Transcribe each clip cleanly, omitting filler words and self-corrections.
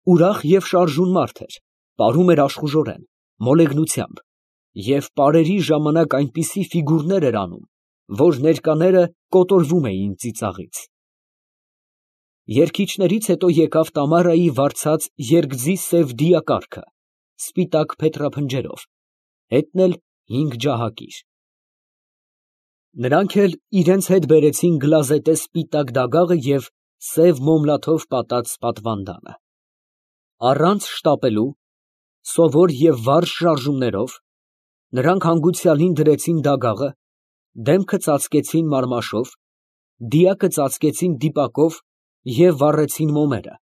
Ուրախ և շարժուն մարդ էր, պարում էր աշխուժորեն, մոլեգնությամբ և պարերի ժամանակ այնպիսի ֆիգուրներ էր անում, որ ներկաները կոտորվում էին ծիծաղից։ Երգիչներից հետո եկավ Տամարայի վարձած երգձի սև դիակառքը, սպիտակ փետրափնջերով, հետն էլ 5 ջահակիր։ Նրանք էլ իրենց հետ բերեցին գլազետե սպիտակ դագաղը և սև մոմլաթով պատած պատվանդանը։ Առանց շտապելու, սովոր և վարժ շարժումներով, նրանք հանգուցյալին դրեցին դագաղը, դեմքը ծածկեցին մարմաշով, դիակը ծածկեցին դիպակով և վառեցին մոմերը,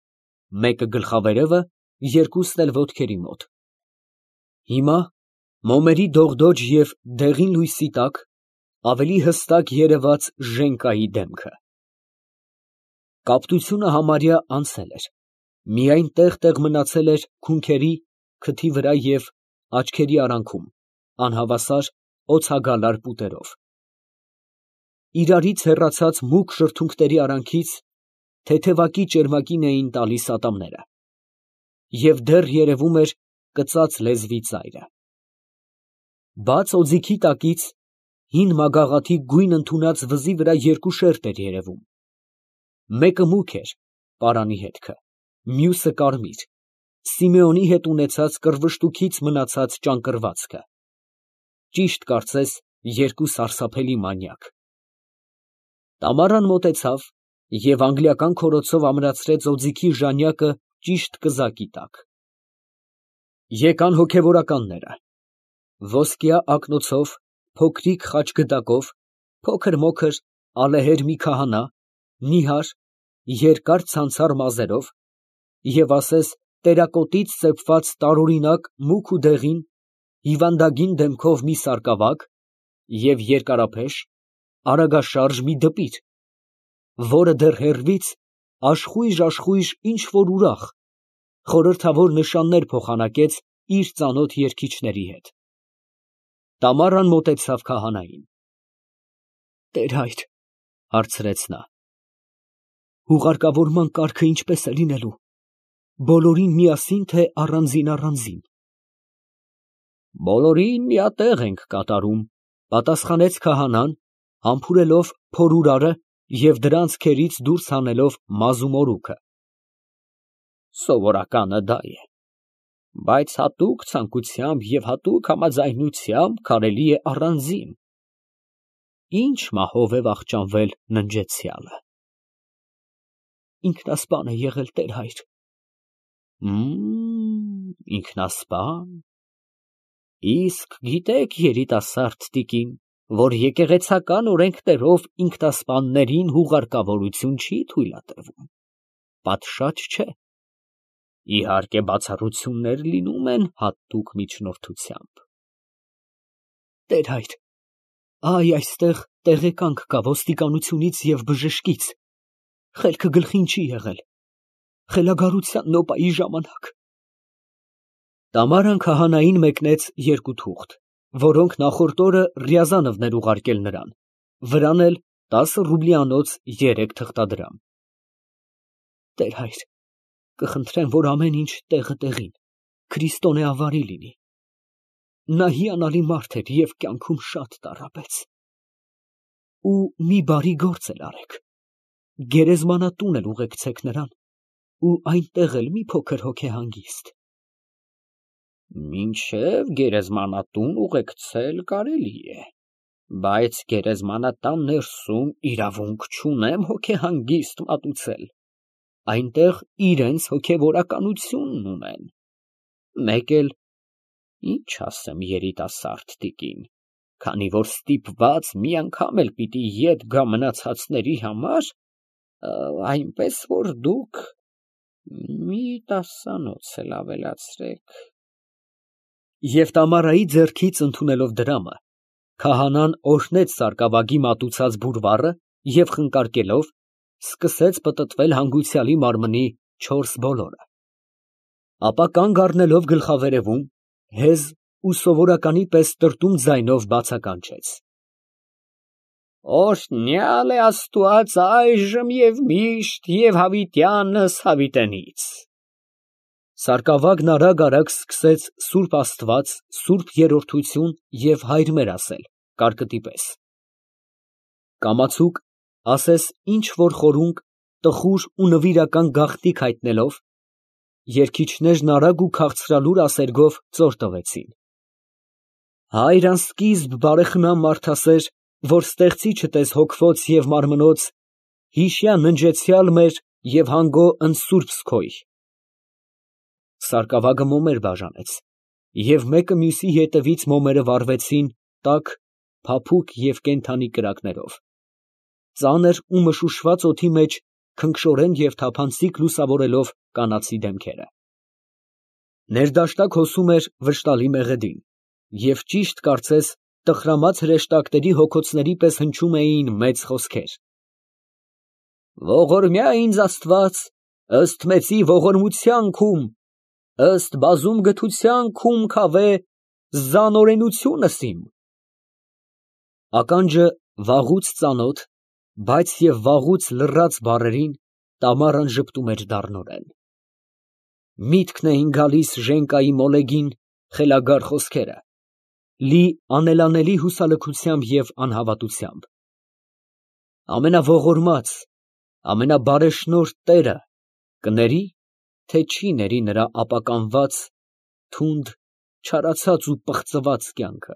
մեկը գլխավերևը, երկուսն էլ ոտքերի մոտ։ Հիմա, մոմերի դողդոջ և դեղին լույսի տակ, ավելի հստակ երևաց Ժենկայի դեմքը։ Կապտությունը համարյա անցել էր, միայն տեղ֊տեղ մնացել էր քունքերի, քթի վրա և աչքերի արանքում, անհավասար, օձագալար պուտերով։ Իրարից հեռացած մուգ շրթունքների արանքից թեթևակի ճերմակին էին տալիս ատամները, և դեռ երևում էր կծած լեզվի ծայրը։ Բաց օձիքի տակից հին մագաղաթի գույն ընդունած վզի վրա երկու շերտ էր երևում. մեկը մուգ էր, պարանի հետքը, մյուսը կարմիր, Սիմեոնի հետ ունեցած կռվշտուքից մնացած ճանկռվածքը, ճիշտ կարծես երկու սարսափելի մանյակ։ Տամարան մոտեցավ և անգլիական քորոցով ամրացրեց օձիքի ժանյակը ճիշտ կզակի տակ։ Եկան հոգևորականները, ոսկյա ակնոցով, փոքրիկ խաչգդակով, փոքր֊մոքր, ալեհեր մի քահանա, նիհար, երկար ցանցառ մազերով և ասես տերակոտից սեպված տարօրինակ մուգ ու դեղին, հիվանդագին դեմքով մի սարկավագ և երկարափեշ, արագաշարժ մի դպիր, որը դեռ հեռվից աշխույժ ինչ֊որ ուրախ, խորհրդավոր նշաններ փոխանակեց իր ծանոթ երգիչների հետ։ Տամարան մոտեցավ քահանային։ «Տեր֊հայր, ֊ հարցրեց նա, ֊ հուղարկավորման կարգը ինչպե՞ս է լինելու, բոլորին միասի՞ն, թե առանձին։ ֊ Բոլորին միատեղ ենք կատարում, ֊ պատասխանեց քահանան, համբուրելով փորուրարը և դրանց քերից դուրս հանելով մազ ու մորուքը։ ֊ Սովորականը դա է, բայց հատուկ ցանկությամբ և հատուկ համաձայնությամբ կարելի է առանձին։ Ինչ մահով է վախճանվել ննջեցյալը։ ֊ Ինքնասպան է եղել, տեր֊հայր։ ֊ Ինքնասպա՞ն։ Իսկ գիտեք, երիտասարդ տիկին, որ եկեղեցական օրենքներով ինքնասպաններին հուղարկավորություն չի թույլատրվում, պատշաճ չէ։ Իհարկե, բացառություններ լինում են հատուկ միջնորդությամբ։ ֊ Տեր֊հայր, այստեղ տեղեկանք կա ոստիկանությունից և բժշկից, խելքը գլխին չի եկել, խելագարության նոպայի ժամանակ։ Տամարան քահանային մեկնեց երկու թուղթ, որոնք նախորդ օրը Ռյազանովն էր ուղարկել նրան, վրան էլ 10 ռուբլիանոց 3 թղթադրամ։ Տեր֊հայր, կխնդրեմ, որ ամեն ինչ տեղը տեղին, քրիստոնեավարի լինի։ Նա հիանալի մարդ էր և կյանքում շատ տառապեց։ Ու մի բարի գործ էլ արեք, գերեզմանատուն էլ ուղեկցեք նրան ու այնտեղ էլ մի փոքր հոգեհանգիստ։ ֊ Մինչև գերեզմանատուն ուղեկցել կարելի է, բայց գերեզմանատան ներսում իրավունք չունեմ հոգեհանգիստ մատուցել, այնտեղ իրանց հոգևորականությունն ունեն, մեկ էլ, ինչ ասեմ, երիտասարդ տիկին, քանի որ ստիպված մի անգամ էլ պիտի ետ գա մնացածների համար, այնպես որ դուք մի 10 էլ ավելացրեք։ Եվ Տամարայի ձեռքից ընդունելով դրամը, քահանան օրհնեց սարկավագի մատուցած բուրվառը և խնկարկելով, սկսեց պտտվել հանգուցյալի մարմնի 4 բոլորը, ապա կանգ առնելով գլխավերևում, հեզ ու սովորականի պես տրտում ձայնով բացականչեց. Օրհնյալ է Աստված այժմ և միշտ և հավիտյանս հավիտենից։ Սարկավագն արագ սկսեց Սուրբ Աստված, Սուրբ Երրորդություն և Հայր մեր ասել, կարկտի պես. կամացուկ, ասես ինչ որ խորունկ, տխուր ու նվիրական գաղտնիք հայտնելով, երգիչներն արագ ու քաղցրալուր ասերգով ծոր տվեցին. Հայր անսկիզբ բարեխնամ մարդասեր, որ ստեղծիչդ ես հոգվոց և մարմնոց, հիշյա ննջեցյալ մեր և հանգո ընսուրբս քոյ։ Սարկավագը մոմեր բաժանեց, և մեկը մյուսի ետևից մոմերը վառվեցին տաք, փափուկ և կենդանի կրակներով, ծանր ու մշուշված օդի մեջ քնքշորեն և թափանցիկ լուսավորելով կանացի դեմքերը։ Ներդաշտակ հոսում էր վշտալի մեղեդին, և ճիշտ կարծես տխրամած հրեշտակների հոգոցների պես հնչում էին մեծ խոսքեր. Ողորմյա ինձ Աստված, ըստ մեծի ողորմության քում, ըստ բազում գթության քում քավե զանօրենությունս իմ։ Ականջը վաղուց ծանոթ, բայց և վաղուց լռած բառերին տամարն ժպտում էր դառնորեն։ Միտքն էին գալիս Ժենկայի մոլեգին խելագար խոսքերը, լի անելանելի հուսալքությամբ և անհավատությամբ։ Ամենաողորմած, ամենաբարեշնորհ Տերը կների, թե չի ների նրա ապականված, թունդ, չարացած ու պղծված կյանքը։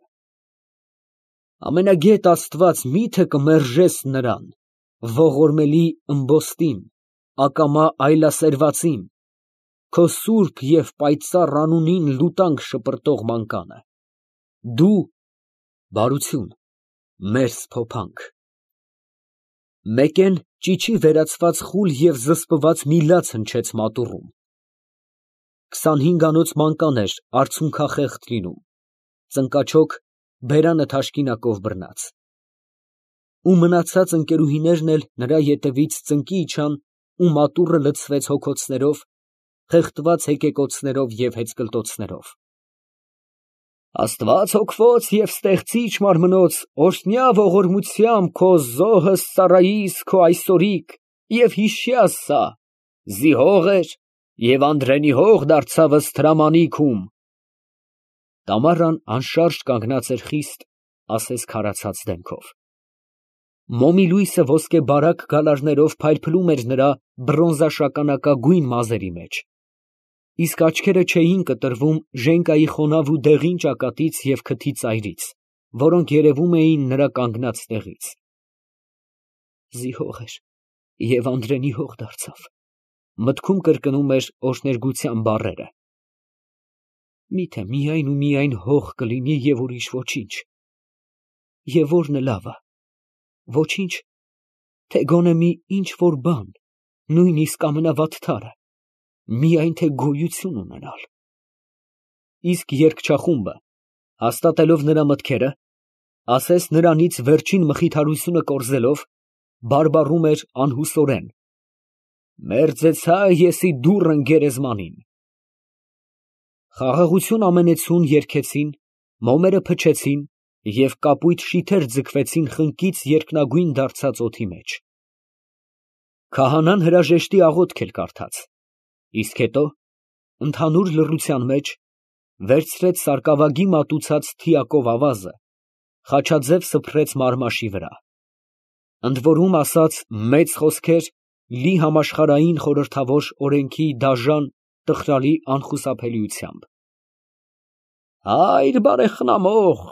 Ամենագետ Աստված մի՞թե կմերժես նրան, ողորմելի ըմբոստին, ակամա այլասերվածին, քո սուրբ և պայծառ անունին լուտանք շպրտող մանկանը, դու, բարություն, մեր սփոփանք։ Մեկեն ճիչի վերացված խուլ և զսպված մի լաց հնչեց մատուռում։ 25-անոց մանկան էր արցունքախեղտ լինում, ծնկաչոք, բերանը թաշկինակով բռնած։ Ու մնացած ընկերուհիներն էլ նրա ետևից ծնկի իջան ու մատուռը լցվեց հոգոցներով, խեղդված հեկեկոցներով և հեծկլտոցներով։ Աստված հոգվոց և ստեղծիչ մարմնոց, օրհնյա ողորմությամբ քո զոհս ծառայիս քո այսօրիկ և հիշյաս սա, զիհող էր և անդրենի հող դարձավ ըստ հրամանիքում։ Տամարան անշարժ կանգնած էր խիստ, ասես քարացած դեմքով։ Մոմի լույսը ոսկեբարակ գալարներով փայլփլում էր նրա բրոնզաշագանակագույն մազերի մեջ, իսկ աչքերը չէին կտրվում Ժենկայի խոնավ ու դեղին ճակատից և քթի ծայրից, որոնք երևում էին նրա կանգնած տեղից։ Զիհող էր և անդրենի հող դարձավ, մտքում կրկնում էր օրհներգության բառերը։ Միթե միայն ու միայն հող կլինի և ուրիշ ոչինչ։ Եվ ո՞րն է լավը, ոչինչ, թե գոնե մի ինչ որ բան, նույնիսկ ամենավատթարը, միայն թե գոյություն ունենալ։ Իսկ երգչախումբը, հաստատելով նրա մտքերը, ասես նրանից վերջին մխիթարությունը կորզելով, բարբառում էր անհուսորեն. Մերձեցա եսի դուռն գերեզմանին։ Խաղաղություն ամենեցուն երգեցին, մոմերը փչեցին և կապույտ շիթեր ձգվեցին խնկից երկնագույն դարձած օդի մեջ։ Քահանան հրաժեշտի աղոթք էր կարդաց, իսկ հետո, ընդհանուր լռության մեջ, վերցրեց սարկավագի մատուցած թիակով ավազը, խաչաձև սփռեց մարմաշի վրա, ընդ որում ասաց մեծ խոսքեր լի համաշխարհային խորհրդավոր օրենքի դաժան, տխրալի անխուսափելիությամբ։ Հայր բարեխնամող,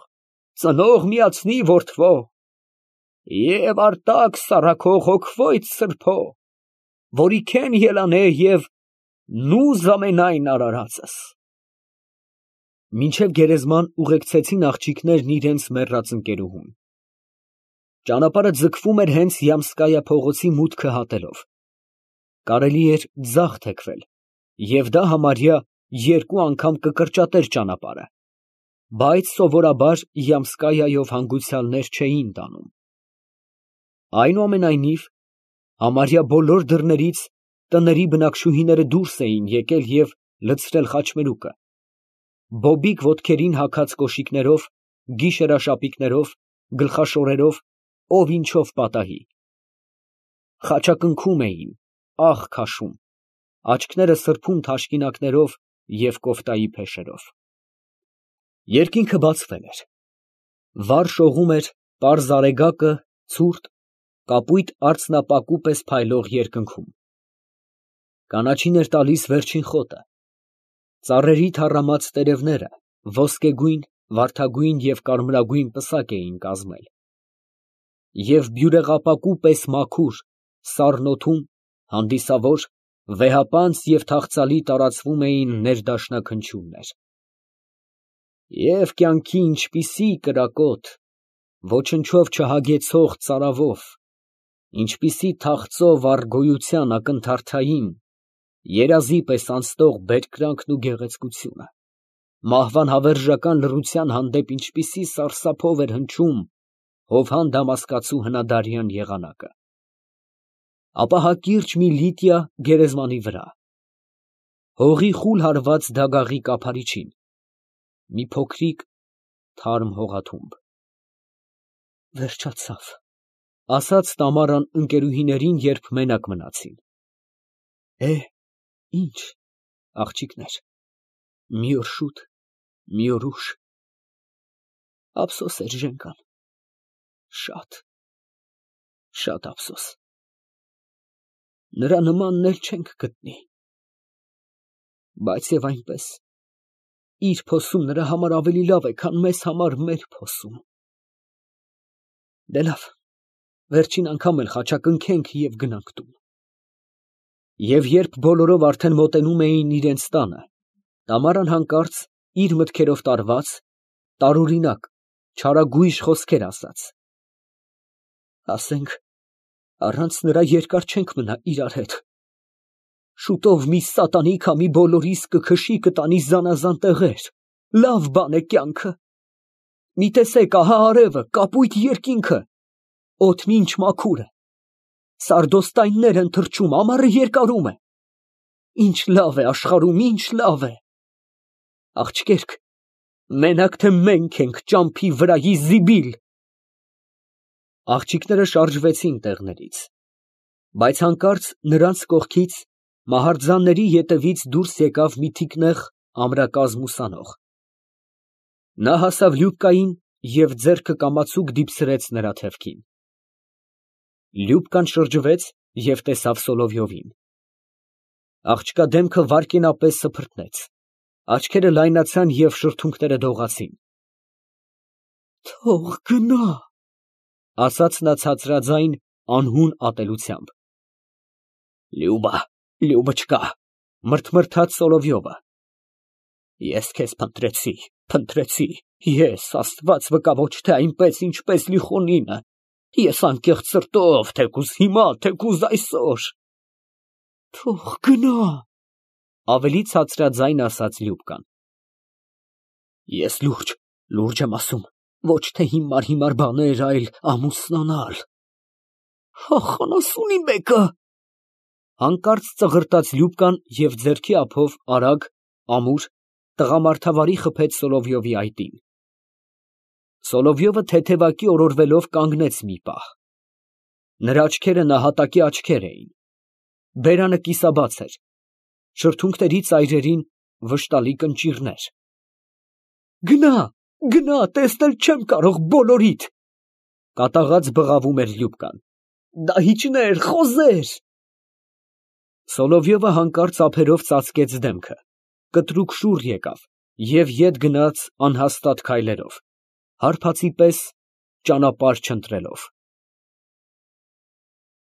ծնող միացնի որդվո, և արտակ սառաքող հոգվոյց սրբո, որի քեն ելանե և նուզ ամենայն արարածս։ Մինչև գերեզման ուղեկցեցին աղջիկներն իրենց մեռած ընկերուհուն։ Ճանապարհը ձգվում էր հենց Յամսկայա փողոցի մուտքը հատելով։ Կարելի էր ձախ թեքվել, և դա համարյա 2 անգամ կկրճատեր ճանապարհը, բայց սովորաբար Յամսկայայով հանգուցյալներ չէին տանում։ Այնուամենայնիվ, համարյա բոլոր դռներից տների բնակչուհիները դուրս էին եկել և լցրել խաչմերուկը, բոբիկ ոտքերին հագած կոշիկներով, գիշերաշապիկներով, գլխաշորերով, ով ինչով պատահի։ Խաչակնքում էին, աղ քաշում, աչքները սրբում թաշկինակներով և կոֆտայի փեշերով։ Երկինքը բացվել էր։ Վառ շողում էր պարզ արեգակը ցուրտ, կապույտ արծնապակու պես փայլող երկնքում։ Կանաչին էր տալիս վերջին խոտը։ Ծառերի թառամած տերևները ոսկեգույն, վարդագույն և կարմրագույն պսակ էին կազմել, և բյուրեղապակու պես մաքուր, սառն օդում հանդիսավոր, վեհապանծ և թախծալի տարածվում էին ներդաշնաքնչյուններ։ Եվ կյանքի ինչպիսի կրակոտ, ոչնչով չհագեցող ծարավով, ինչպիսի թախծով առ գոյության ակնթարթային, երազի պես անցնող բերկրանքն ու գեղեցկությունը, մահվան հավերժական լռության հանդեպ ինչպիսի սարսափով էր հնչում Հովհան Դամասկացու հնադարյան եղանակը։ Ապա հակիրճ մի Լիտիա գերեզմանի վրա, հողի խուլ հարված դագաղի կափարիչին, մի փոքրիկ թարմ հողաթումբ։ Վերջացավ, ասաց Տամարան ընկերուհիներին, երբ մենակ մնացին։ Ինչ, աղջիկներ, մի օր շուտ, մի օր ուշ։ Ափսոս էր ժենկան, շատ, շատ ափսոս։ Նրա նմանն էլ չենք գտնի։ Բայց և այնպես, իր փոսում նրա համար ավելի լավ է, քան մեզ համար մեր փոսում։ Դե լավ, վերջին անգամ էլ խաչակնքենք և գնանք տուն։ Եվ երբ բոլորով արդեն մոտենում էին իրենց տանը, Տամարան հանկարծ իր մտքերով տարված, տարօրինակ, չարագույժ խոսքեր ասաց. Ասենք, առանց նրա երկար չենք մնա իրար հետ։ Շուտով մի սատանի քամի բոլորիս կքշի, կտանի զանազան տեղեր, լավ բան է կյանքը։ Մի տեսեք, ահա արևը, կապույտ երկինքը, օդն ինչ մաքուր է, սարդոստայններ են թռչում, ամառը երկարում է։ Ինչ լավ է աշխարհում, ինչ լավ է։ Աղջիկերք, մենակ թե մենք ենք ճամփի վրայի զիբիլ։ Աղջիկները շարժվեցին տեղներից, բայց հանկարծ նրանց կողքից մահարձանների ետևից դուրս եկավ մի թիկնեղ ամրակազմ ուսանող։ Նա հասավ Լյուբկային և ձեռքը կամացուկ դիպցրեց նրա թևքին։ Լյուբկան շրջվեց և տեսավ Սոլովյովին։ Աղջկա դեմքը վայրկենապես սփռտնեց, աչքերը լայնացան և շրթունքները դողացին։ Թող գնա, ասաց նա ցածրաձայն, անհուն ատելությամբ։ Լյուբա չկա, մրթմրթաց Սոլովյովը։ Ես քեզ փնտրեցի, ես, Աստված վկա, ոչ թե այնպես, ինչպես Լիխոնինը, ես անկեղծ սրտով, թեկուզ հիմա, թեկուզ այսօր։ Թող գնա, ավելի ցածրաձայն ասաց Լյուբկան։ Ես լուրջ եմ ասում, ոչ թե հիմար բաներ, այլ ամուսնանալ։ Ախանասունի մեկը, հանկարծ ծղրտաց Լյուբկան և ձեռքի ափով արագ, ամուր, տղամարդավարի խփեց Սոլովյովի այտին։ Սոլովյովը թեթևակի օրորվելով կանգնեց մի պահ։ Նրա աչքերը նահատակի աչքեր էին, բերանը կիսաբաց էր, շրթունքների ծայրերին վշտալի կնճիռներ։ Գնա, տեսնել չեմ կարող բոլորիդ, կատաղած բղավում էր Լյուբկան։ Դահիճներ, խոզեր։ Սոլովյովը հանկարծ ափերով ծածկեց դեմքը, կտրուկ շուռ եկավ և ետ գնաց անհաստատ քայլերով, հարբածի պես ճանապարհ չընտրելով։